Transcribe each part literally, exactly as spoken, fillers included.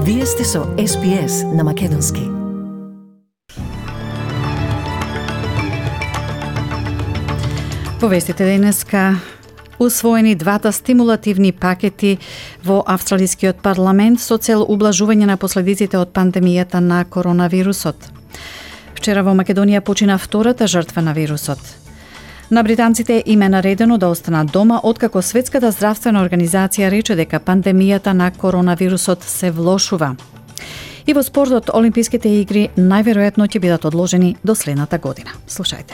Вие сте со Ес Би Ес на Македонски. Во вестите денеска усвоени двата стимулативни пакети во австралискиот парламент со цел ублажување на последиците од пандемијата на коронавирусот. Вчера во Македонија почина втората жртва на вирусот. На британците им е наредено да останат дома откако Светската здравствена организација рече дека пандемијата на коронавирусот се влошува. И во спортот, Олимписките игри најверојатно ќе бидат одложени до следната година. Слушајте.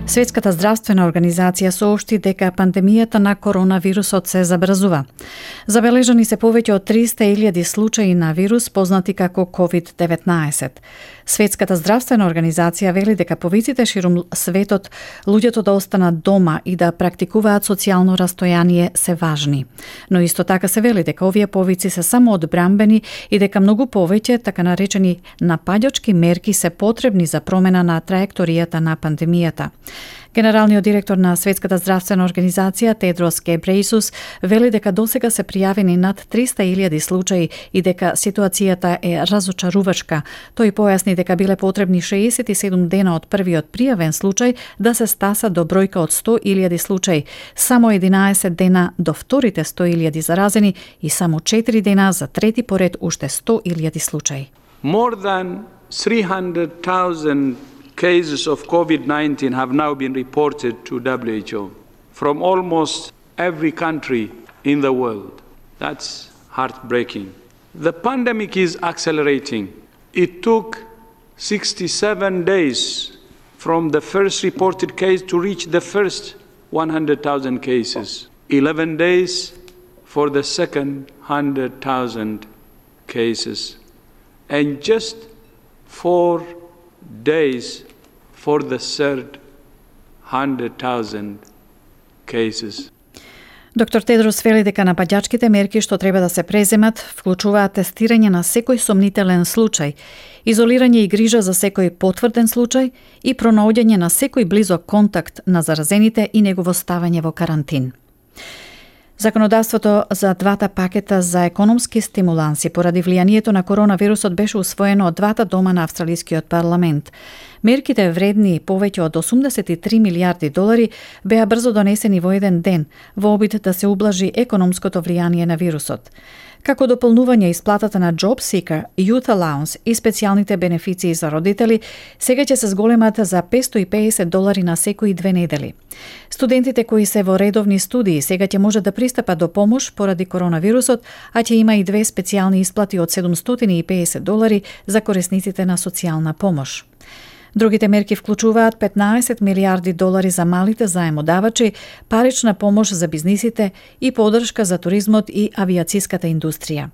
Светската здравствена организација соопшти дека пандемијата на коронавирусот се забрзува. Забележани се повеќе од триста илјади случаи на вирус познати како ковид деветнаесет. Светската здравствена организација вели дека повиците ширум светот луѓето да останат дома и да практикуваат социјално растојание се важни. Но исто така се вели дека овие повици се само одбрамбени и дека многу повеќе така наречени напаѓачки мерки се потребни за промена на траекторијата на пандемијата. Генералниот директор на Светската здравствена организација Тедрос Гебрејсус вели дека досега се пријавени над триста илјади случаи и дека ситуацијата е разочарувачка. Тој појасни дека биле потребни шеесет и седум дена од првиот пријавен случај да се стаса до бројка од сто илјади случаи, само единаесет дена до вторите сто илјади заразени и само четири дена за трети поред уште сто илјади случаи. More than three hundred thousand cases of COVID nineteen have now been reported to W H O from almost every country in the world. That's heartbreaking. The pandemic is accelerating. It took sixty-seven days from the first reported case to reach the first one hundred thousand cases. eleven days for the second one hundred thousand cases. And just four days for the third one hundred thousand cases. Доктор Тедрос вели дека напаѓачките мерки што треба да се преземат вклучуваат тестирање на секој сомнителен случај, изолирање и грижа за секој потврден случај и пронаоѓање на секој близок контакт на заразените и негово ставање во карантин. Законодавството за двата пакета за економски стимуланси поради влијанието на коронавирусот беше усвоено од двата дома на австралискиот парламент. Мерките вредни повеќе од осумдесет и три милијарди долари беа брзо донесени во еден ден во обид да се ублажи економското влијание на вирусот. Како дополнување исплатата на Job Seeker, Youth Allowance и специјалните бенефиции за родители, сега ќе се зголемат за петстотини и педесет долари на секои две недели. Студентите кои се во редовни студии сега ќе може да пристапат до помош поради коронавирусот, а ќе има и две специјални исплати од седумстотини и педесет долари за корисниците на социјална помош. Другите мерки вклучуваат петнаесет милијарди долари за малите заемодавачи, парична помош за бизнисите и поддршка за туризмот и авијациската индустрија.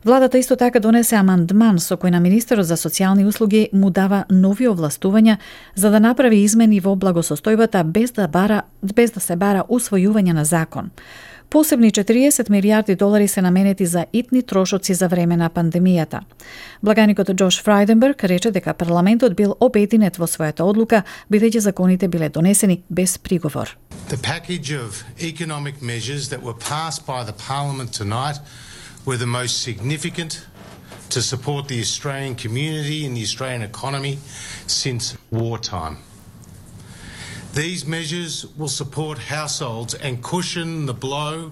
Владата исто така донесе амандман со кој на Министерот за социјални услуги му дава нови овластувања за да направи измени во благосостојбата без да бара без да се бара усвојување на закон. Посебни четириесет милијарди долари се наменети за итни трошоци за време на пандемијата. Благаникот Џош Фрајденберг рече дека парламентот бил обединет во својата одлука, бидејќи законите биле донесени без приговор. The package of economic measures that were passed by the Parliament tonight were the most significant to support the Australian community and the Australian economy since wartime. These measures will support households and cushion the blow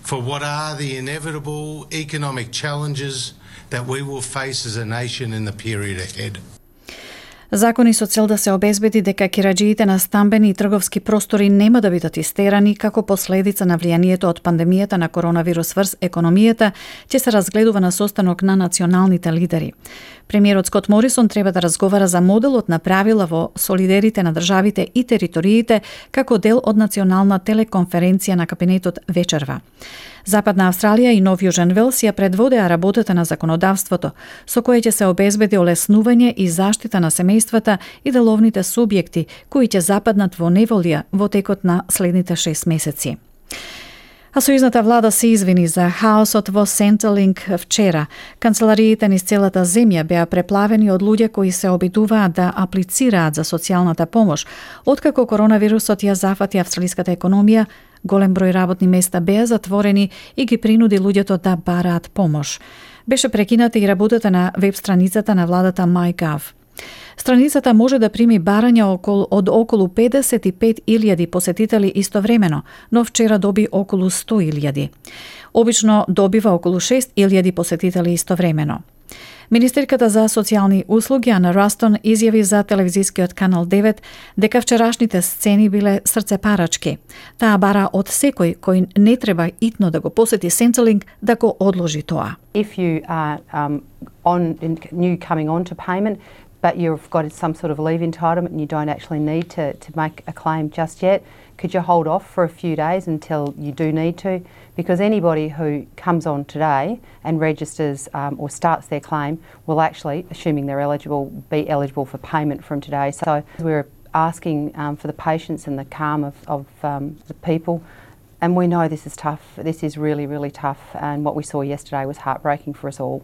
for what are the inevitable economic challenges that we will face as a nation in the period ahead. Закони со цел да се обезбеди дека кираџиите на стамбени и трговски простори нема да бидат истерани како последица на влијанието од пандемијата на коронавирус врз економијата, ќе се разгледува на состанок на националните лидери. Премиерот Скот Морисон треба да разговара за моделот на правила во солидерите на државите и териториите како дел од национална телеконференција на кабинетот вечерва. Западна Австралија и Нов Јужен Велс ја предводеа работата на законодавството, со кое ќе се обезбеди олеснување и заштита на семејствата и деловните субјекти кои ќе западнат во неволја во текот на следните шест месеци. А сојузната влада се извини за хаосот во Centrelink вчера. Канцелариите низ целата земја беа преплавени од луѓе кои се обидуваат да аплицираат за социјалната помош. Откако коронавирусот ја зафати австралиската економија, голем број работни места беа затворени и ги принуди луѓето да бараат помош. Беше прекината и работата на веб страницата на владата MyGov. Страницата може да прими барања околу, од околу педесет и пет илјади посетители истовремено, но вчера доби околу сто илјади. Обично добива околу шест илјади посетители истовремено. Министерката за социјални услуги Ана Растон изјави за телевизискиот канал девет дека вчерашните сцени биле срцепарачки. Таа бара од секој кој не треба итно да го посети Centrelink да го одложи тоа. If you are um, on new coming on to payment, but you've got some sort of leave entitlement and you don't actually need to, to make a claim just yet, could you hold off for a few days until you do need to? Because anybody who comes on today and registers um, or starts their claim will actually, assuming they're eligible, be eligible for payment from today. So we're asking um, for the patience and the calm of, of um, the people. And we know this is tough. This is really, really tough. And what we saw yesterday was heartbreaking for us all.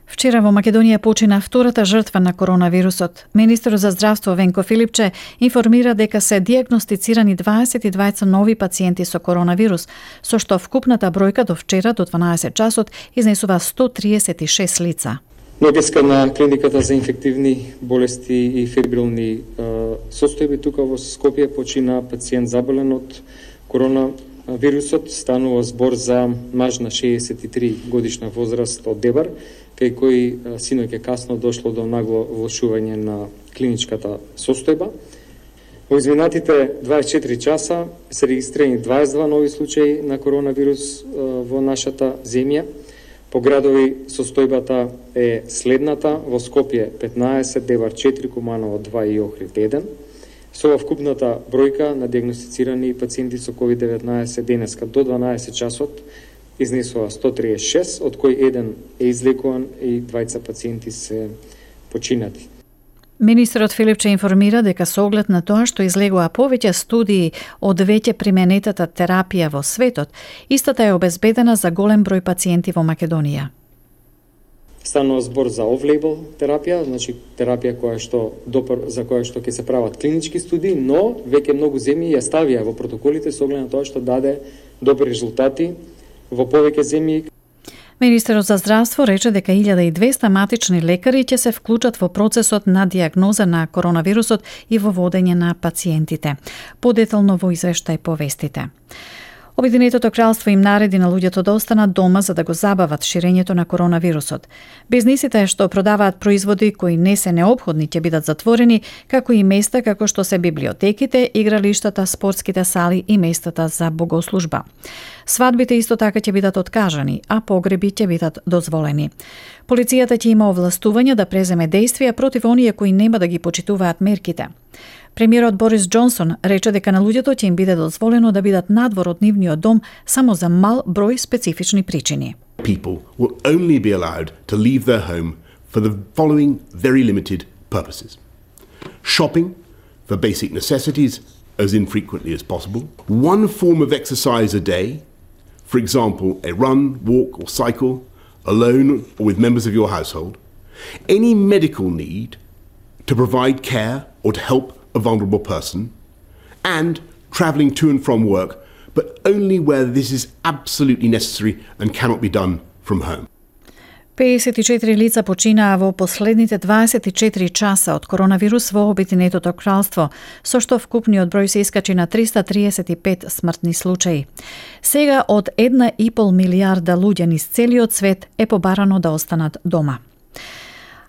Вчера во Македонија почина втората жртва на коронавирусот. Министерот за здравство Венко Филипче информира дека се дијагностицирани дваесет и двајца нови пациенти со коронавирус, со што вкупната бројка до вчера до дванаесет часот изнесува сто триесет и шест лица. Нодеска на клиниката за инфективни болести и фебрилни состојби тука во Скопје почина пациент заболен од коронавирусот. Станува збор за маж на шеесет и три годишна возраст од Дебар, кај кој синоќа касно дошло до нагло влошување на клиничката состојба. Во изминатите дваесет и четири часа се регистрирани дваесет и два нови случаи на коронавирус во нашата земја. По градови состојбата е следната: во Скопје петнаесет, Дебар четири, Куманово два и Охрид еден. Со вкупната бројка на дијагностицирани пациенти со ковид деветнаесет денеска до дванаесет часот изнесува сто триесет и шест, од кој еден е излекуван и двајца пациенти се починати. Министерот Филипче информира дека со оглед на тоа што излегува повеќе студии од веќе применетата терапија во светот, истата е обезбедена за голем број пациенти во Македонија. Станува збор за off-label терапија, значи терапија која што допр, за која што ќе се прават клинички студии, но веќе многу земји ја ставија во протоколите со оглед на тоа што даде добри резултати во повеќе земји. Министерот за здравство рече дека илјада и двесте матични лекари ќе се вклучат во процесот на дијагноза на коронавирусот и во водење на пациентите. Подетално во извештај по вестите. Обединетото кралство им нареди на луѓето да останат дома за да го забават ширењето на коронавирусот. Бизнисите што продаваат производи кои не се неопходни ќе бидат затворени, како и места како што се библиотеките, игралиштата, спортските сали и местата за богослужба. Свадбите исто така ќе бидат откажани, а погреби ќе бидат дозволени. Полицијата ќе има овластување да преземе дејствија против оние кои нема да ги почитуваат мерките. Премиерот Борис Џонсон рече дека на луѓето ќе им биде дозволено да бидат надвор од нивниот дом само за мал број специфични причини. People will only be allowed to leave their home for the following very limited purposes. Shopping for basic necessities as infrequently as possible. One form of exercise a day, for example, a run, walk or cycle, alone or with members of your household. Any medical need to provide care or to help a vulnerable person, and travelling to and from work, but only where this is absolutely necessary and cannot be done from home. педесет и четири лица починаа во последните дваесет и четири часа од коронавирус во Обединетото кралство, со што вкупниот број се искачи на триста триесет и пет смртни случаи. Сега од една и пол милијарда луѓе низ целиот свет е побарано да останат дома.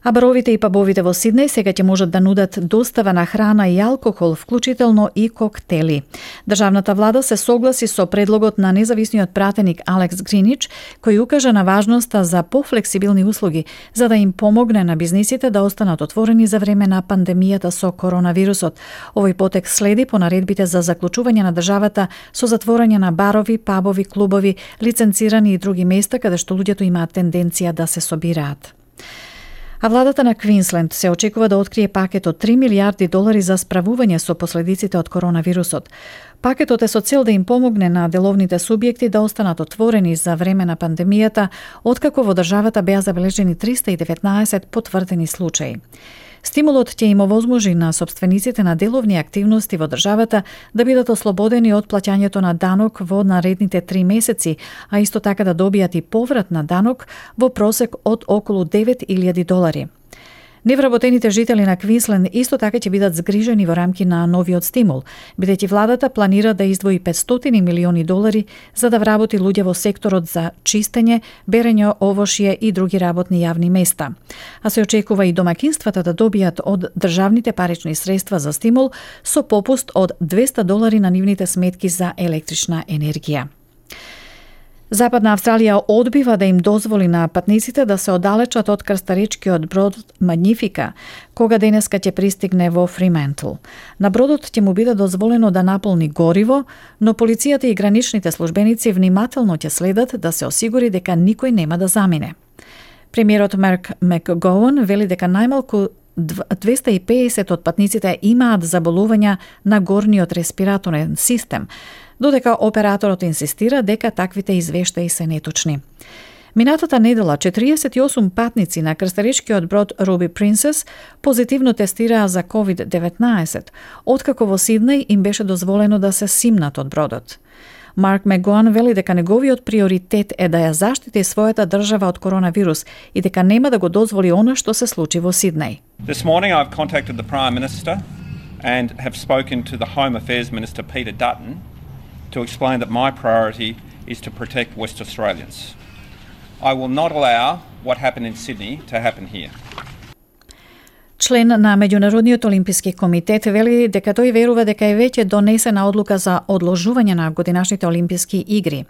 А баровите и пабовите во Сиднеј сега ќе можат да нудат достава на храна и алкохол, вклучително и коктели. Државната влада се согласи со предлогот на независниот пратеник Алекс Гринич, кој укажа на важноста за пофлексибилни услуги, за да им помогне на бизнисите да останат отворени за време на пандемијата со коронавирусот. Овој потек следи по наредбите за заклучување на државата со затворање на барови, пабови, клубови, лиценцирани и други места каде што луѓето имаат тенденција да се собираат. А владата на Квинсленд се очекува да открие пакет од три милијарди долари за справување со последиците од коронавирусот. Пакетот е со цел да им помогне на деловните субјекти да останат отворени за време на пандемијата, откако во државата беа забележени триста и деветнаесет потврдени случаи. Стимулот ќе им овозможи на сопствениците на деловни активности во државата да бидат ослободени од плаќањето на данок во наредните три месеци, а исто така да добијат и поврат на данок во просек од околу девет илјади долари. Невработените жители на Квинсленд исто така ќе бидат згрижени во рамки на новиот стимул, бидејќи владата планира да издвои петстотини милиони долари за да вработи луѓе во секторот за чистење, берење овошје и други работни јавни места. А се очекува и домакинствата да добијат од државните парични средства за стимул со попуст од двесте долари на нивните сметки за електрична енергија. Западна Австралија одбива да им дозволи на патниците да се оддалечат од крстаречкиот брод Магнифика, кога денеска ќе пристигне во Фриментл. На бродот ќе му биде дозволено да наполни гориво, но полицијата и граничните службеници внимателно ќе следат да се осигури дека никој нема да замине. Премиерот Марк Макгоуан вели дека најмалку двесте и педесет од патниците имаат заболувања на горниот респираторен систем, додека операторот инсистира дека таквите извештаи се неточни. Минатата недела четириесет и осум патници на крстаречкиот брод Руби Принцес позитивно тестираа за ковид деветнаесет, откако во Сиднеј им беше дозволено да се симнат од бродот. Марк Макгоуан вели дека неговиот приоритет е да ја заштити својата држава од коронавирус и дека нема да го дозволи она што се случи во Сиднеј. This morning I've contacted the Prime Minister and have spoken to the Home Affairs Minister Peter Dutton to explain that my priority is to protect West Australians. I will not allow what happened in Sydney to happen here. Член на Меѓународниот олимписки комитет вели дека тој верува дека е веќе донесена одлука за одложување на годинашните олимписки игри.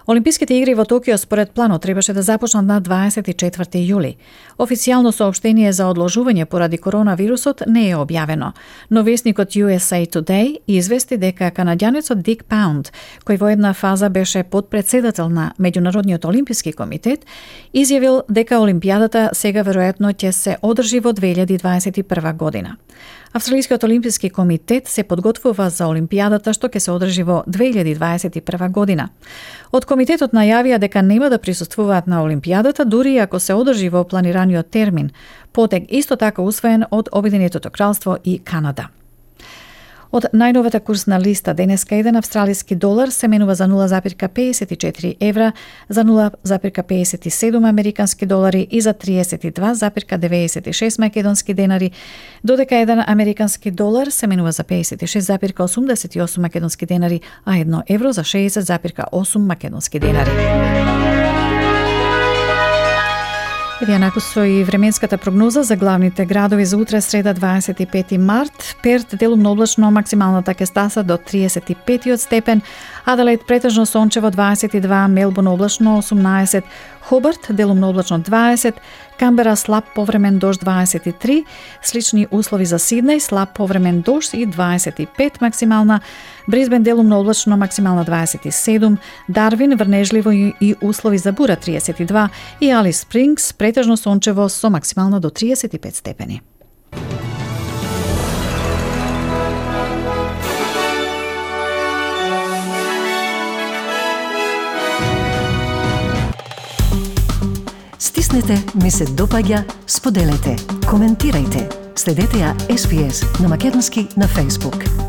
Олимписките игри во Токио според планот требаше да започнат на дваесет и четврти јули. Официјално соопштение за одложување поради коронавирусот не е објавено, но весникот Ю Ес Ей Today извести дека канаѓанецот Дик Паунд, кој во една фаза беше подпредседател на Меѓународниот олимписки комитет, изјавил дека олимпијадата сега веројатно ќе се одржи во две илјади дваесет и прва година. Австралискиот олимписки комитет се подготвува за олимпијадата што ќе се одржи во две илјади дваесет и прва година. Од комитетот најавија дека нема да присуствуваат на олимпијадата дури ако се одржи во планираниот термин, потек исто така усвоен од Обединетото кралство и Канада. Од најновата курсна листа денеска еден австралиски долар се менува за нула запирка педесет и четири евра, за нула запирка педесет и седум американски долари и за триесет и два запирка деветдесет и шест македонски денари, додека еден американски долар се менува за педесет и шест запирка осумдесет и осум македонски денари, а едно евро за шеесет запирка осум македонски денари. Еве наку со и временската прогноза за главните градови за утре среда дваесет и пети март. Перт делумно облачно, максималната ќе стаса до триесет и пет степен, Аделаид претежно сончево дваесет и два, Мелбурн облачно осумнаесет, Хобарт делумно облачно дваесет, Камбера слаб повремен дожд дваесет и три, слични услови за Сиднеј, слаб повремен дожд и дваесет и пет максимална, Брисбен делумно облачно, максимална дваесет и седум, Дарвин врнежливо и услови за бура триесет и два и Алис Спрингс претежно сончево со максимална до триесет и пет степени. Стиснете, ми се допаѓа, споделете, коментирајте. Следете ја Ес Би Ес на македонски на Facebook.